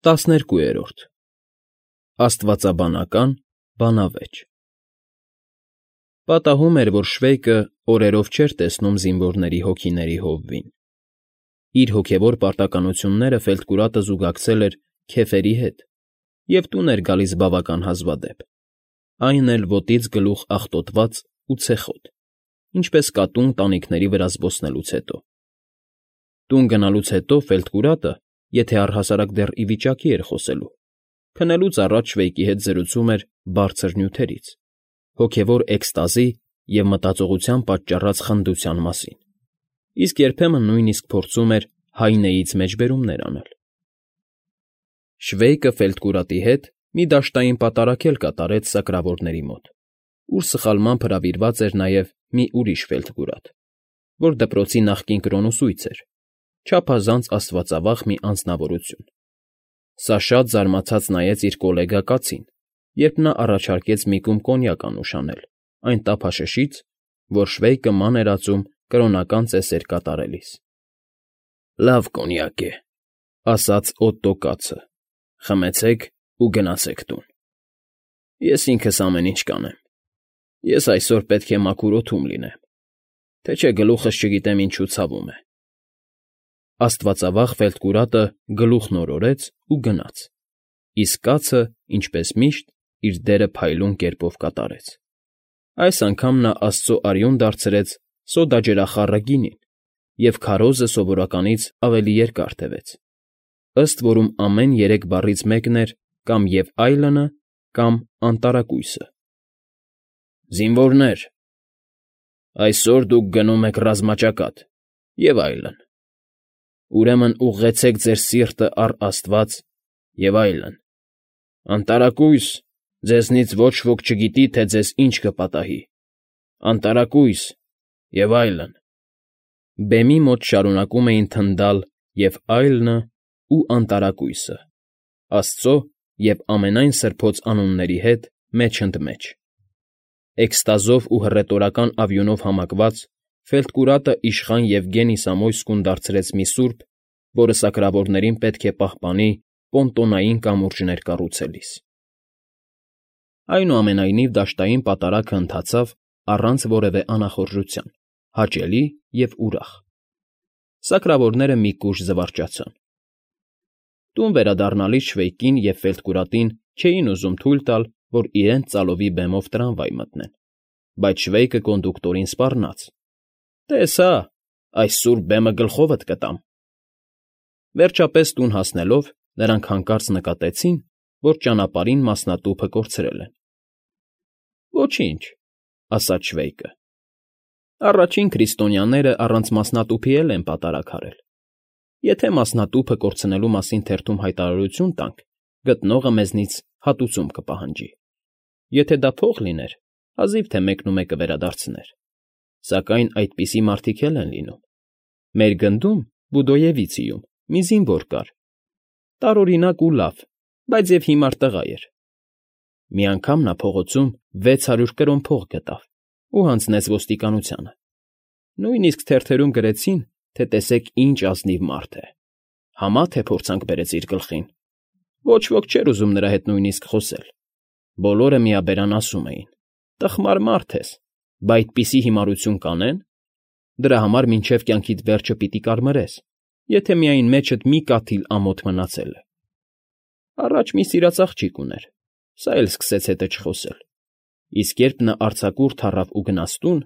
12։ Աստվածաբանական բանավեճ Պատահում էր, որ Շվեյկը օրերով չէր տեսնում զինվորների հոգիների հովվին. իր հոգևոր պարտականությունները Ֆելտկուրատը զուգակցել էր քեֆերի հետ և տուն էր գալիս բավական հազվադեպ, այն էլ ոտից գլուխ աղտոտված ու ցեխոտ, ինչպես կատուն տանիքների վրա զբոսնելուց հետո։ Տուն գնալուց հետո Ֆելտկուրատը, եթե առհասարակ դեռ ի վիճակի էր խոսելու, քնելուց առաջ Շվեյկի հետ զրուցում էր բարձր նյութերից, հոգևոր էքստազի և մտածողության պատճառած խնդության մասին, իսկ երբեմն նույնիսկ փորձում էր հայնեից մեջբերումներ անել։ Շվեյկը Ֆելտկուրատի հետ մի դաշտային պատարագ էլ կատարեց սակրավորների մոտ, ուր սխալմամբ հրավիրված էր նաև մի ուրիշ Ֆելտկուրատ, որ դպրոցի նախկին կրոնուսույց էր, չափազանց աստվածավախ մի անձնավորություն։ Սա շատ զարմացած նայեց իր կոլեգա կացին, երբ նա առաջարկեց մի կում կոնյակ անուշ անել այն տափաշշից, որ Շվեյկը ման էր ածում կրոնական ծեսեր կատարելիս։ ֊ Լավ կոնյակ է,֊ ասաց Օտո կացը,֊ խմեցեք ու գնացեք տուն։ Ես ինքս ամեն ինչ կանեմ։ Ես այսօր պետք է մաքուր օդում լինեմ, թե չէ գլուխս չգիտեմ ինչու ցավում է։ Աստվածավախ Ֆելտկուրատը գլուխն օրորեց ու գնաց, իսկ կացը, ինչպես միշտ, իր դերը փայլուն կերպով կատարեց։ Այս անգամ նա աստծո արյուն դարձրեց սոդաջրախառը գինին և քարոզը սովորականից ավելի երկար տևեց, ըստ որում ամեն երեք բառից մեկն էր կամ և այլնը, կամ անտարակույսը։ Զինվորներ, այսօր դուք գնում եք ռազմաճակատ, և այլն, ուրեմն ուղղեցեք ձեր սիրտը առ Աստված, և այլն, անտարակույս, ձեզնից ոչ ոք չգիտի, թե ձեզ ինչ կպատահի, անտարակույս, և այլն… Բեմի մոտ շարունակում էին թնդալ և այլնը ու անտարակույսը, աստծո և ամենայն սրբոց անունների հետ մեջընդմեջ։ Էքստազով ու հռետորական ավյունով համակված Ֆելտկուրատը իշխան Եվգենի Սամոյսկուն դարձրեց մի սուրբ, որը սակրավորներին պետք է պահպանի պոնտոնային կամուրջներ կառուցելիս։ Այնուամենայնիվ դաշտային պատարագը ընթացավ առանց որևէ անախորժության, հաճելի և ուրախ։ Սակրավորները մի կուշ զվարճացան։ Տուն վերադառնալիս Շվեյկին և Ֆելտկուրատին չէին ուզում թույլ տալ, որ իրենց ծալովի բեմով տրամվայ մտնեն, բայց Շվեյկը կոնդուկտորին սպառնաց. «Տես հա, այս սուրբ բեմը գլխովդ կտամ»։ Վերջապես տուն հասնելով՝ նրանք հանկարծ նկատեցին, որ ճանապարհին մասնատուփը կորցրել են։ «Ոչինչ,֊ ասաց Շվեյկը,֊ առաջին քրիստոնյաները առանց մասնատուփի էլ են պատարագ արել։ Եթե մասնատուփը կորցնելու մասին թերթում հայտարարություն տանք, գտնողը մեզնից հատուցում կպահանջի։ Եթե դա փող լիներ, հազիվ թե մեկնումեկը վերադարձներ, սակայն այդպիսի մարդիկ էլ են լինում։ Մեր գնդում, Բուդոևիցիում, մի զինվոր կար, տարօրինակ ու լավ, բայց և հիմար տղա էր։ Մի անգամ նա փողոցում 600 կրոն փող գտավ ու հանձնեց ոստիկանությանը։ Նույնիսկ թերթերում գրեցին, թե տեսեք ինչ ազնիվ մարդ է, համա թե փորձանք բերեց իր գլխին։ Ոչ ոք չէր ուզում նրա հետ նույնիսկ խոսել։ Բոլորը միաբերան ասում էին. «Տխմար մարդ ես, բա այդպիսի հիմարություն կանեն։ Դրա համար մինչև կյանքիդ վերջը պիտի կարմրես, եթե միայն մեջդ մի կաթիլ ամոթ մնացել է»։ Առաջ մի սիրած աղջիկ ուներ, սա էլ սկսեց հետը չխոսել, իսկ երբ նա արձակուրդ առավ ու գնաց տուն,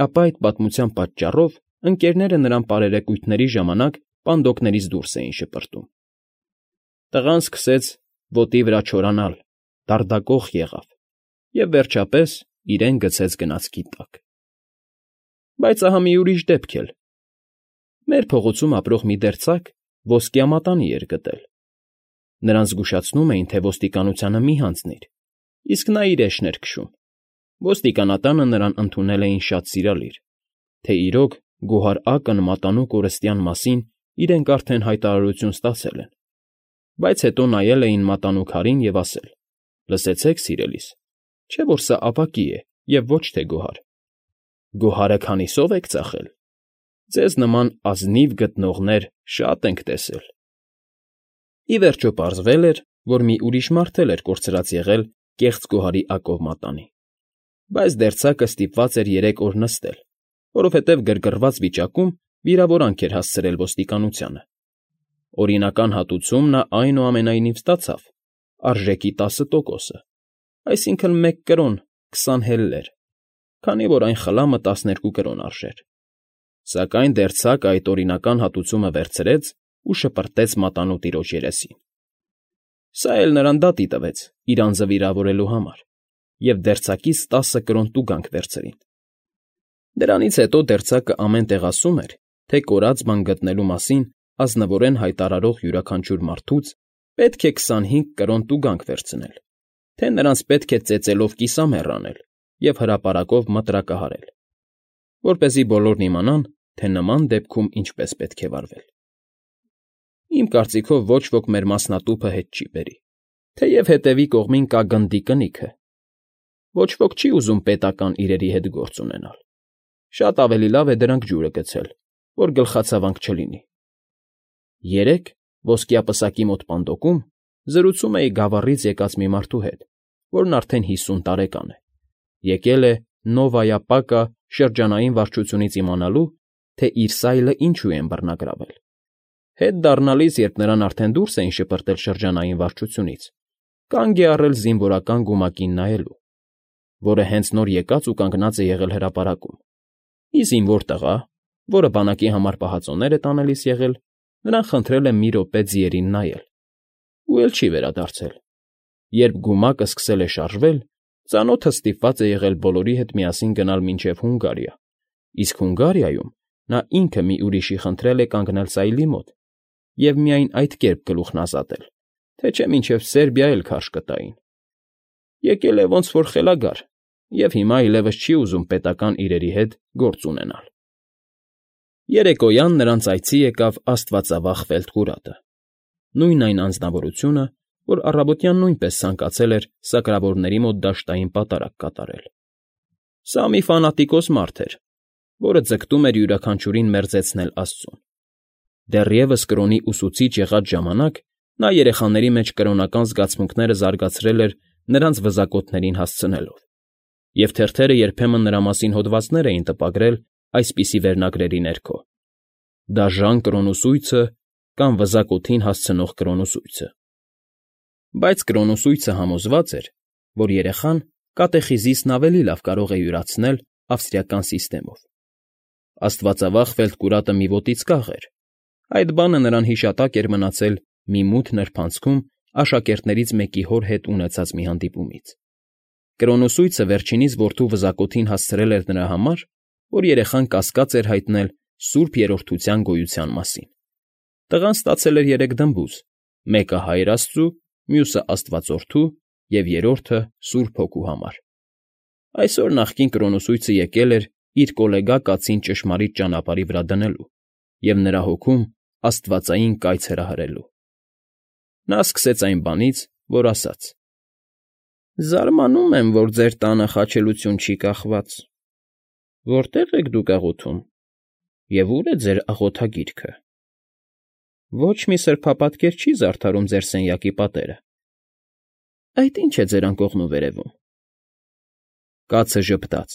ապա այդ պատմության պատճառով ընկերները նրան պարերեկույթների ժամանակ պանդոկներից դուրս էին շպրտում։ Տղան սկսեց ոտի վրա չորանալ, դարդակոխ եղավ և, վերջապես, իրեն գցեց գնացքի տակ։ Բայց ահա մի ուրիշ դեպք էլ. մեր փողոցում ապրող մի դերձակ ոսկյա մատանի էր գտել։ Նրան զգուշացնում էին, թե ոստիկանությանը մի հանձնիր, իսկ նա իր էշն էր քշում։ Ոստիկանատանը նրան ընդունել էին շատ սիրալիր, թե իրոք գոհար֊ակն մատանու կորստյան մասին իրենք արդեն հայտարարություն ստացել են, բայց հետո նայել էին մատանու քարին և ասել. «Լսեցեք, սիրելիս, չէ՞ որ սա ապակի է և ոչ թե գոհար։ Գոհարը քանիսով եք ծախել։ Ձեզ նման ազնիվ գտնողներ շատ ենք տեսել»։ Ի վերջո պարզվել էր, որ մի ուրիշ մարդ էլ էր կորցրած եղել կեղծ գոհարի ակով մատանի, բայց դերձակը ստիպված էր 3 օր նստել, որովհետև գրգռված վիճակում վիրավորանք էր հասցրել ոստիկանությանը։ Օրինական հատուցում նա այնուամենայնիվ ստացավ, արժեքի 10%, այսինքն 1 կրոն 20 հելլեր, քանի որ այն խլամը 12 կրոն արժեր։ Սակայն դերձակը այդ օրինական հատուցումը վերցրեց ու շպրտեց մատանու տիրոջ երեսին։ Սա էլ նրան դատի տվեց իր անձը վիրավորելու համար, և դերձակից 10 կրոն տուգանք վերցրին։ Դրանից հետո դերձակը ամեն տեղ ասում էր, թե կորած բան գտնելու մասին ազնվորեն հայտարարող յուրաքանչյուր մարդուց պետք է 25 կրոն տուգանք վերցնել, թե նրանց պետք է ծեծելով կիսամեռ անել և հրապարակով մտրակահարել, որպեսզի բոլորն իմանան, թե նման դեպքում ինչպես պետք է վարվել։ Իմ կարծիքով ոչ ոք մեր մասնատուփը հետ չի բերի, թեև հետևի կողմին կա գնդի կնիքը։ Ոչ ոք չի ուզում պետական իրերի հետ գործ ունենալ։ Շատ ավելի լավ է դրանք ջուրը գցել, որ գլխացավանք չլինի։ Երեկ ոսկյա պսակի մոտ պանդոկում զրուցում էի Գավառից եկած մի մարդու հետ, որն արդեն 50 տարեկան է, եկել է Նովայապակա շրջանային վարչությունից իմանալու, թե իր սայլը ինչու են բռնագրավել։ Հետ դառնալիս, երբ նրան արդեն դուրս էին շպրտել շրջանային վարչությունից, կանգ է առել զինվորական գումակին նայելու, որը հենց նոր եկած ու կանգնած է եղել հրապարակում։ Մի զինվոր տղա, որը բանակի համար պահածոներ է տանելիս եղել, նրան խնդրել է մի րոպե ձիերին նայել, ու էլ չի վերադարձել։ Երբ գումակը սկսել է շարժվել, ծանոթը ստիպված է եղել բոլորի հետ միասին գնալ մինչև Հունգարիա, իսկ Հունգարիայում նա ինքը մի ուրիշի խնդրել է կանգնել սայլի մոտ և միայն այդ կերպ գլուխն ազատել, թե չէ մինչև Սերբիա էլ քարշ կտային։ Եկել է ոնց որ խելագար և հիմա այլևս չի ուզում պետական իրերի հետ գործ ունենալ։ Երեկոյան նրանց այցի եկավ աստվածավախ Ֆելտկուրատը, նույն այն անձնավորությունը, որ առավոտյան նույնպես ցանկացել էր սակրավորների մոտ դաշտային պատարագ կատարել։ Սա մի ֆանատիկոս մարդ էր, որը ձգտում էր յուրաքանչյուրին մերձեցնել աստծուն։ Դեռևս կրոնի ուսուցիչ եղած ժամանակ նա երեխաների մեջ կրոնական զգացմունքները զարգացրել էր նրանց վզակոթներին հասցնելով, և թերթերը երբեմն նրա մասին հոդվածներ էին տպագրել այսպիսի վերնագրերի ներքո. «Դաժան կրոնուսույցը» կամ «Վզակոթին հասցնող կրոնուսույցը»։ Բայց կրոնուսույցը համոզված էր, որ երեխան կատեխիզիսն ավելի լավ կարող է յուրացնել ավստրիական սիստեմով։ Աստվածավախ Ֆելտկուրատը մի ոտից կախ էր։ Այդ բանը նրան հիշատակ էր մնացել մի մութ նրբանցքում աշակերտներից մեկի հոր հետ ունեցած մի հանդիպումից։ Կրոնուսույցը վերջինիս որդու վզակոթին հասցրել էր նրա համար, որ երեխան կասկած էր հայտնել Սուրբ Երրորդության գոյության մասին։ Տղան ստացել էր 3 դմբուզ՝ մեկը Հայր Աստծու, մյուսը Աստվածորդու և երրորդը Սուրբ Հոգու համար։ Այսօր նախկին կրոնուսույցը եկել էր իր կոլեգա կացին ճշմարիտ ճանապարհի վրա դնելու և նրա հոգում աստվածային կայծ հրահրելու։ Նա սկսեց այն բանից, որ ասաց. «Զարմանում եմ, որ ձեր տանը խաչելություն չի կախված։ Որտե՞ղ եք դուք աղոթում, և ո՞ւր է ձեր աղոթագիրքը։ Ոչ մի սրբապատկեր չի զարդարում ձեր սենյակի պատերը։ Այդ ի՞նչ է ձեր անկողնուվերևում»։ Կացը ժպտաց.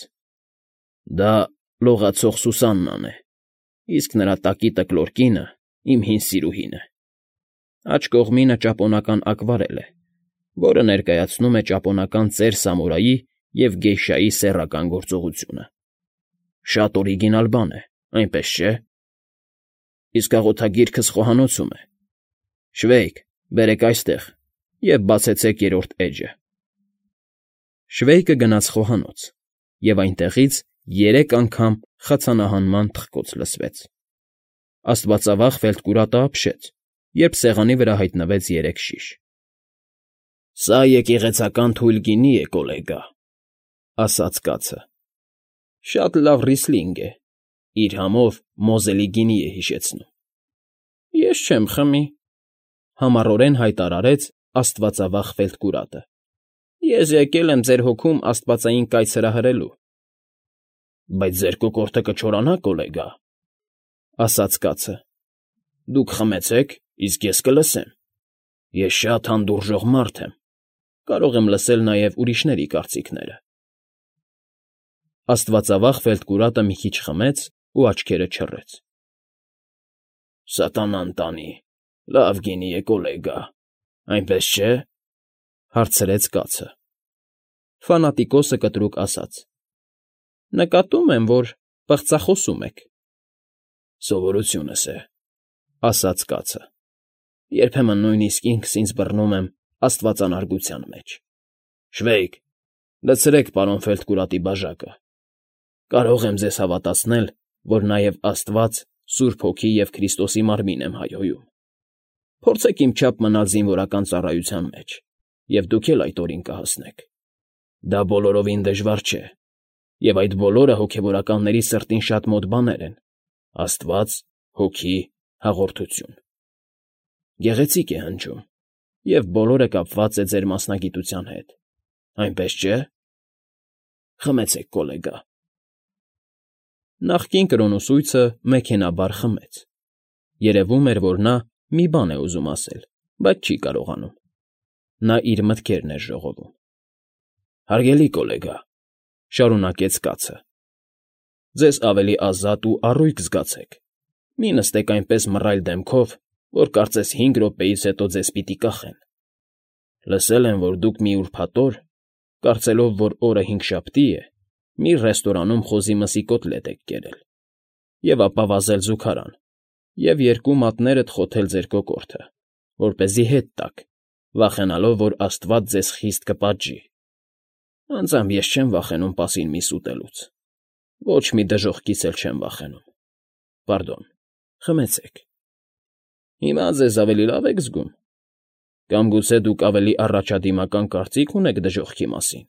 «Դա լողացող Սուսաննան է, իսկ նրա տակի տկլոր կինը իմ հին սիրուհին է։ Աջ կողմինը ճապոնական ակվարել է, որը ներկայացնում է ճապոնական ծեր սամուրայի և գեյշայի սեռական գործողությունը։ Շատ օրիգինալ բան է, այնպես չէ։ Իսկ աղոթագիրքս խոհանոցում է։ Շվեյք, բերեք այստեղ և բացեցեք երրորդ էջը»։ Շվեյկը գնաց խոհանոց, և այնտեղից 3 անգամ խցանահանման թխկոց լսվեց։ Աստվածավախ Ֆելտկուրատը ապշեց, երբ սեղանի վրա հայտնվեց 3 շիշ։ «Սա եկեղեցական թույլ գինի է, կոլեգա», ասաց կացը։ «Շատ լավ ռիսլինգ է, իր համով Մոզելի գինի է հիշեցնում»։ «Ես չեմ խմի», համառորեն հայտարարեց աստվածավախ Ֆելտկուրատը։ «Ես եկել եմ ձեր հոգում աստվածային կայծ հրահրելու»։ «Բայց ձեր կոկորդը կչորանա, կոլեգա», ասաց կացը։ «Դուք խմեցեք, իսկ ես կլսեմ»։ Ես շատ հանդուրժող մարդ եմ, կարող եմ լսել նաև ուրիշների կարծիքները։ Աստվածավախ Ֆելդկուրատը մի քիչ խմեց ու աչքերը չռեց։ Սատանան տանի, լավ գինի է, կոլեգա, այնպես չէ՞, հարցրեց կացը։ Ֆանատիկոսը կտրուկ ասաց. Նկատում եմ, որ պղծախոսում եք։ Սովորությունս է, ասաց կացը։ Երբեմն նույնիսկ ինքս ինձ բռնում եմ աստվածանարգության մեջ։ Շվեյք, լցրեք պարոն Ֆելդկուրատի բաժակը։ Կարող եմ ձեզ հավատացնել, որ նաև Աստված, Սուրբ Հոգի և Քրիստոսի մարմին եմ հայհոյում։ Փորձեք իմ չափ մնալ զինվորական ծառայության մեջ, և դուք էլ այդ օրին կհասնեք։ Դա բոլորովին դժվար չէ, և այդ բոլորը հոգևորականների սրտին շատ մոտ բաներ են. Աստված, Հոգի, հաղորդություն։ Գեղեցիկ է հնչում, և բոլորը կապված է ձեր մասնագիտության հետ, այնպես չէ՞։ Խմեցեք, կոլեգա։ Նախկին կրոնուսույցը մեքենաբար խմեց։ Երևում էր, որ նա մի բան է ուզում ասել, բայց չի կարողանում։ Նա իր մտքերն էր ժողովում։ Հարգելի կոլեգա, շարունակեց կացը, ձեզ ավելի ազատ ու առույգ զգացեք։ Մի նստեք այնպես մռայլ դեմքով, որ կարծես 5 րոպեից հետո ձեզ պիտի կախեն։ Լսել եմ, որ դուք մի ուրբաթ օր, կարծելով, որ օրը հինգշաբթի է, մի ռեստորանում խոզի մսի կոտլետ եք կերել, և ապա վազել զուգարան, և 2 մատներդ խոթել ձեր կոկորդը, որպեսզի հետ տաք, վախենալով, որ Աստված ձեզ խիստ կպատժի։ Անձամբ ես չեմ վախենում պասին միս ուտելուց, ոչ մի դժոխքից էլ չեմ վախենում։ Պարդոն, խմեցեք։ Հիմա ձեզ ավելի լավ եք զգում։ Կամ գուցե դուք ավելի առաջադիմական կարծիք ունեք դժոխքի մասին։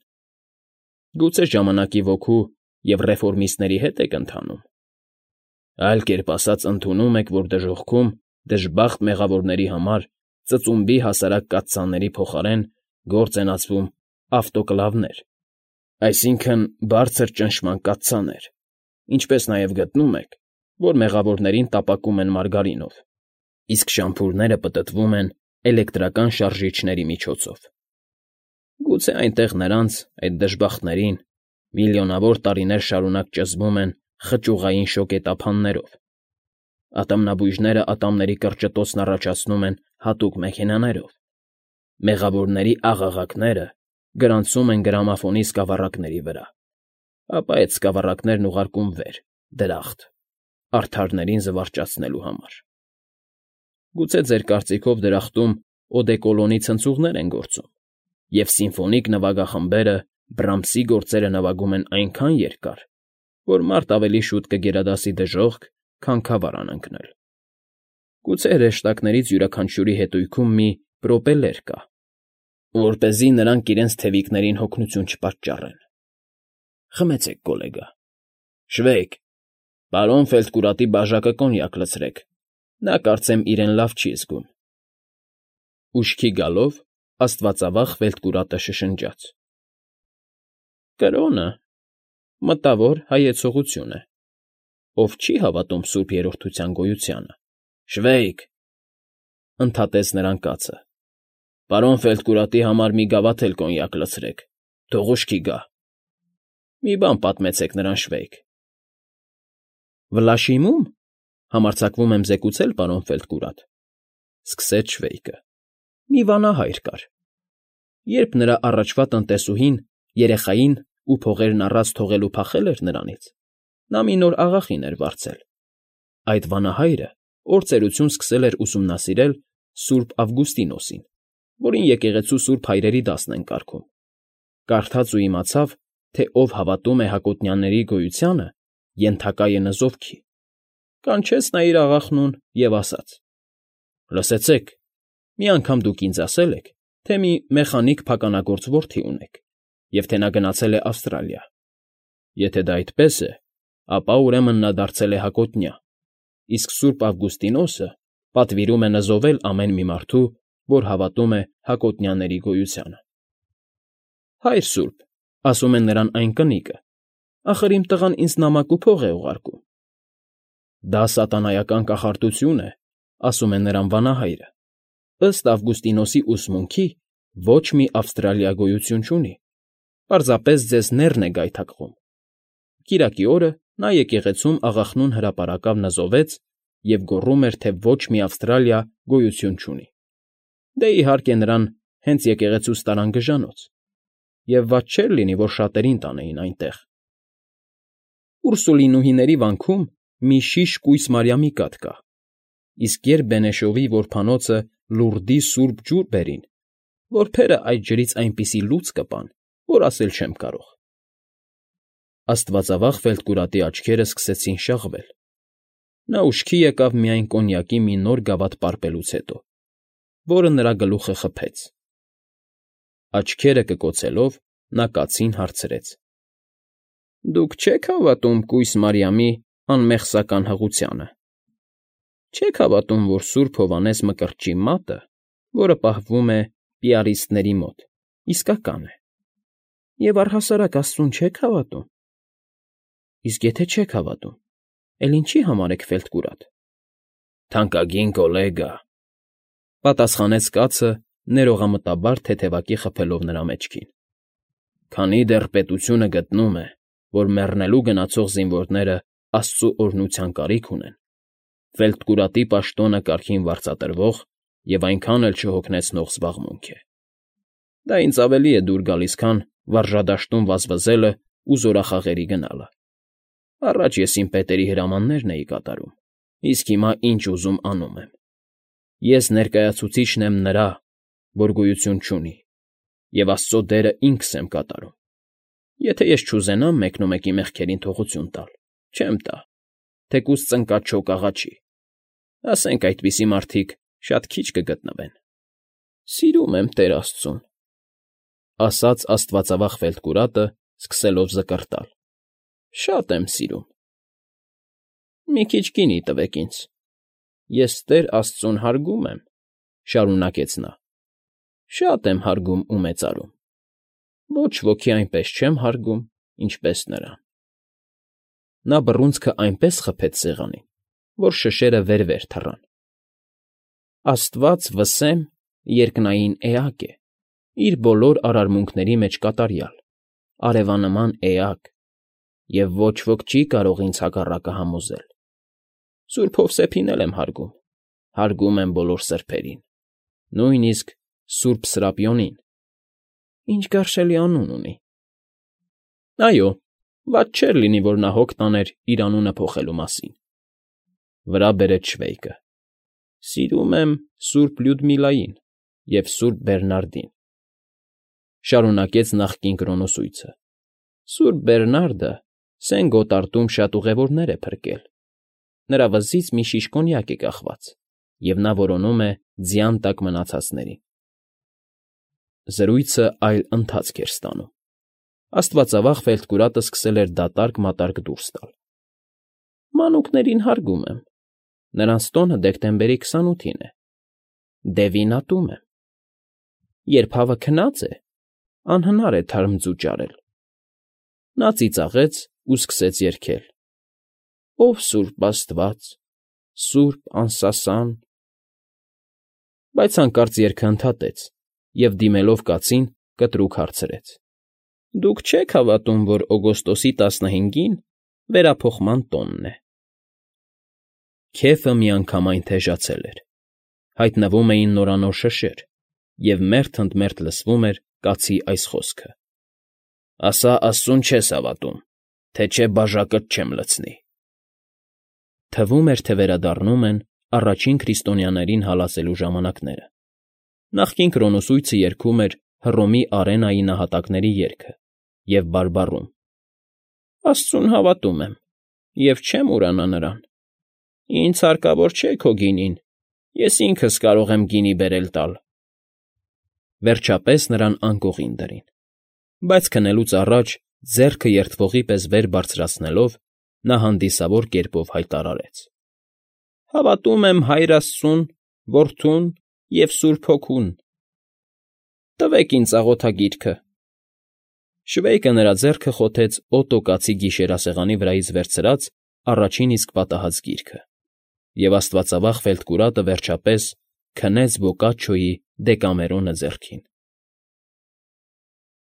Գուցե ժամանակի ոգու և ռեֆորմիստների հետ եք ընթանում։ Այլ կերպ ասած, ընդունում եք, որ դժոխքում դժբախտ մեղավորների համար ծծումբի հասարակ կաթսաների փոխարեն գործ են ածվում ավտոկլավներ, այսինքն բարձր ճնշման կաթսաներ, ինչպես նաև գտնում եք, որ մեղավորներին տապակում են մարգարինով, իսկ շամփուրները պտտվում են էլեկտրական շարժիչների միջոցով։ Գուցե այնտեղ նրանց, այդ դժբախտներին, միլիոնավոր տարիներ շարունակ ճզմում են խճուղային շոկետափաններով, ատամնաբույժները ատամների կրճտոցն առաջացնում են հատուկ մեքենաներով, մեղավորների աղաղակները գրանցում են գրամաֆոնի սկավառակների վրա, ապա այդ սկավառակներն ուղարկում վեր, դրախտ, արդարներին զվարճացնելու համար։ Գուցե ձեր կարծիքով դրախտում օդեկոլոնի ցնցուղներ են գործում, և սիմֆոնիկ նվագախմբերը Բրամսի գործերը նվագում են այնքան երկար, որ մարդ ավելի շուտ կգերադասի դժոխք, քան քավար անընկնել։ Գուցե հրեշտակներից յուրաքանչյուրի հետույքում մի պրոպելեր կա, որպեսզի նրանք իրենց թևիկներին հոգնություն չպատճառեն։ Խմեցեք, կոլեգա։ Շվեյք, պարոն Ֆելդկուրատի բաժակը կոնյակ լցրեք, նա կարծեմ իրեն լավ չի զգում։ Ուշքի գալով աստվածավախ Ֆելդկուրատը շշնջաց. Կրոնը մտավոր հայեցողություն է, ով չի հավատում Սուրբ Երրորդության գոյությանը։ Շվեյք, ընդհատեց նրան կացը, պարոն Ֆելդկուրատի համար մի գավաթ էլ կոնյակ լցրեք, թող ուշքի գա։ Մի բան պատմեցեք նրան, Շվեյք։ Վլաշիմում, համարձակվում եմ զեկուցել, պարոն Ֆելդկուրատ, սկսեց Շվեյկը, մի վանահայր կար։ Երբ նրա առաջվա տնտեսուհին երեխային ու փողերն առած թողելու փախել էր նրանից, նա մի նոր աղախին էր վարձել։ Այդ վանահայրը օրծերություն սկսել էր ուսումնասիրել Սուրբ Ավգուստինոսին, որին եկեղեցու սուրբ հայրերի դասն են կարգում։ Կարդաց ու իմացավ, թե ով հավատում է Հակոտնյանների գոյությանը, ենթակա է նզովքի։ Կանչեց նա իր աղախնուն և ասաց. Լսեցեք, մի անգամ դուք ինձ ասել եք, թե մի մեխանիկ փականագործ որդի ունեք, և թե նա գնացել է Ավստրալիա։ Եթե դա այդպես է, ապա ուրեմն նա դարձել է հակոտնյա, իսկ Սուրբ Ավգուստինոսը պատվիրում է նզովել ամեն մի մարդու, որ հավատում է Հակոտնյաների գոյությանը։ Հայր սուրբ, ասում են նրան այն կնիկը, ախր իմ տղան ինձ նամակ ու փող է ուղարկում։ Դա սատանայական կախարդություն է, ասում է նրան վանահայրը, ըստ Ավգուստինոսի ուսմունքի, ոչ մի Ավստրալիա գոյություն չունի, պարզապես ձեզ նեռն է գայթակղում։ Կիրակի օրը նա եկեղեցում աղախնուն հրապարակավ նզովեց և գոռում էր, թե ոչ մի Ավստրալիա գոյություն չունի։ Դե, իհարկե, նրան հենց եկեղեցուց տարան գժանոց, և վատ չէր լինի, որ շատերին տանեին այնտեղ։ Ուրսուլինուհիների վանքում մի շիշ կույս Մարիամի կաթ կա, իսկ երբ Բենեշովի որբանոցը լուրդի սուրբ ջուր բերին, որբերը այդ ջրից այնպիսի լուծ կպան, որ ասել չեմ կարող։ Աստվածավախ Ֆելտկուրատի աչքերը սկսեցին շաղվել։ Նա ուշքի եկավ միայն կոնյակի մի նոր գավաթ պարպելուց հետո, որը նրա գլուխը խփեց։ Աչքերը կկոցելով՝ նա կացին հարցրեց. «Դուք չե՞ք հավատում կույս Մարիամի անմեղսական հղությանը։ Չե՞ք հավատում, որ Սուրբ Հովհաննես Մկրտչի մատը, որը պահվում է պիարիստների մոտ, իսկական է։ Եվ առհասարակ Աստծուն չե՞ք հավատում։ Իսկ եթե չեք հավատում, էլ ինչի համար եք Ֆելտկուրատ»։ «Թանկագին գոլեգա», պատասխանեց կացը, ներողամտաբար թեթևակի խփելով նրա մեջքին։ «Քանի դեռ պետությունը գտնում է, որ մեռնելու գնացող զինվորները Աստծու օրհնության կարիք ունեն, Ֆելտկուրատի պաշտոնը կարգին վարձատրվող և այնքան էլ չհոգնեցնող զբաղմունք է։ Դա ինձ ավելի է դուր գալիս, քան վարժադաշտում վազվզելը ու զորախաղերի գնալը։ Առաջ ես իմ պետերի հրամաններն էի կատարում, իսկ հիմա ինչ ուզում անում եմ։ Ես ներկայացուցիչն եմ նրա, որ գոյություն չունի, և Աստծո դերը ինքս եմ կատարում։ Եթե ես չուզենամ մեկնումեկի մեղքերին թողություն տալ, չեմ տա, թեկուզ ծնկած չոք աղաչի։ Ասենք այդպիսի մարդիկ շատ քիչ կգտնվեն։ Սիրում եմ Տեր Աստծուն, ասաց աստվածավախ Ֆելտկուրատը, սկսելով զկռտալ։ Շատ եմ սիրում։ Մի քիչ գինի տվեք ինձ։ Ես Տեր Աստծուն հարգում եմ, շարունակեց նա։ Շատ եմ հարգում ու մեծարում։ Ոչ ոքի այնպես չեմ հարգում, ինչպես նրան։ Նա բռունցքը այնպես խփեց սեղանին, որ շշերը վեր թռան։ Աստված, վսեմ, երկնային էակ է, իր բոլոր արարմունքների մեջ կատարյալ, արևանման էակ, և ոչ ոք չի կարող ինձ հակառակը համոզել։ Սուրբ Հովսեփին էլ եմ հարգում եմ բոլոր սրբերին, նույնիսկ Սուրբ Սրափիոնին։ Ինչ գարշելի անուն ունի։ Այո, վատ չէր լինի, որ նա հոգ տաներ իր անունը փոխելու մասին։ Վրա բերեց շվեյկը։ Սիրում եմ Սուրբ Լյուդմիլային և Սուրբ Բերնարդին, շարունակեց նախկին կրոնոսույցը։ Սուրբ Բերնարդը Սեն Գոտարտում շատ ուղևորներ է փրկել։ Նրա վզից մի շիշ կոնյակ է կախված, և նա որոնում է ձյան տակ մնացածներին։ Զրույցը այլ ընթացք էր ստանում։ Աստվածավախ Ֆելտկուրատը սկսել էր դատարկ֊մատարկ դուրս տալ։ Մանուկներին հարգում եմ։ Նրանց տոնը դեկտեմբերի 28-ին է։ Դևին ատում եմ։ Երբ հավը քնած է, անհնար է թարմձու ճարել։ Նա ծիծաղեց ու սկսեց երգել. Ով Սուրբ Աստված, Սուրբ անսասան։ Բայց հանկարծ երգը ընդհատեց և, դիմելով կացին, կտրուկ հարցրեց. Դուք չե՞ք հավատում, որ օգոստոսի 15-ին վերափոխման տոնն է։ Քեֆը միանգամայն թեժացել էր։ Հայտնվում էին նորանոր շշեր, և մերթ ընդ մերթ լսվում էր կացի այս խոսքը. Ասա Աստծուն չես հավատում, թե չէ բաժակդ չեմ լցնի։ Թվում էր, թե վերադառնում են առաջին քրիստոնյաներին հալածելու ժամանակները։ Նախկին կրոնոսույցը երգում էր Հռոմի Արենայի նահատակների երգը և բարբառում. Աստծուն հավատում եմ և չեմ ուրանա նրան։ Ինձ հարկավոր չէ քո գինին, ես ինքս կարող եմ գինի բերել տալ։ Վերջապես նրան անկողին դրին, բայց քնելուց առաջ ձեռքը երդվողի պես վեր բարձրացնելով նա հանդիսավոր կերպով հայտարարեց. Հավատում եմ Հայր Աստծուն, Որդուն և Սուրբ Հոգուն։ Տվեք ինձ աղոթագիրքը։ Շվեյկը նրա ձեռքը խոթեց Օտո կացի գիշերասեղանի վրայից վերցրած առաջին իսկ պատահած գիրքը, և աստվածավախ Ֆելտկուրատը վերջապես քնեց Բոկաչչոյի Դեկամերոնը ձեռքին։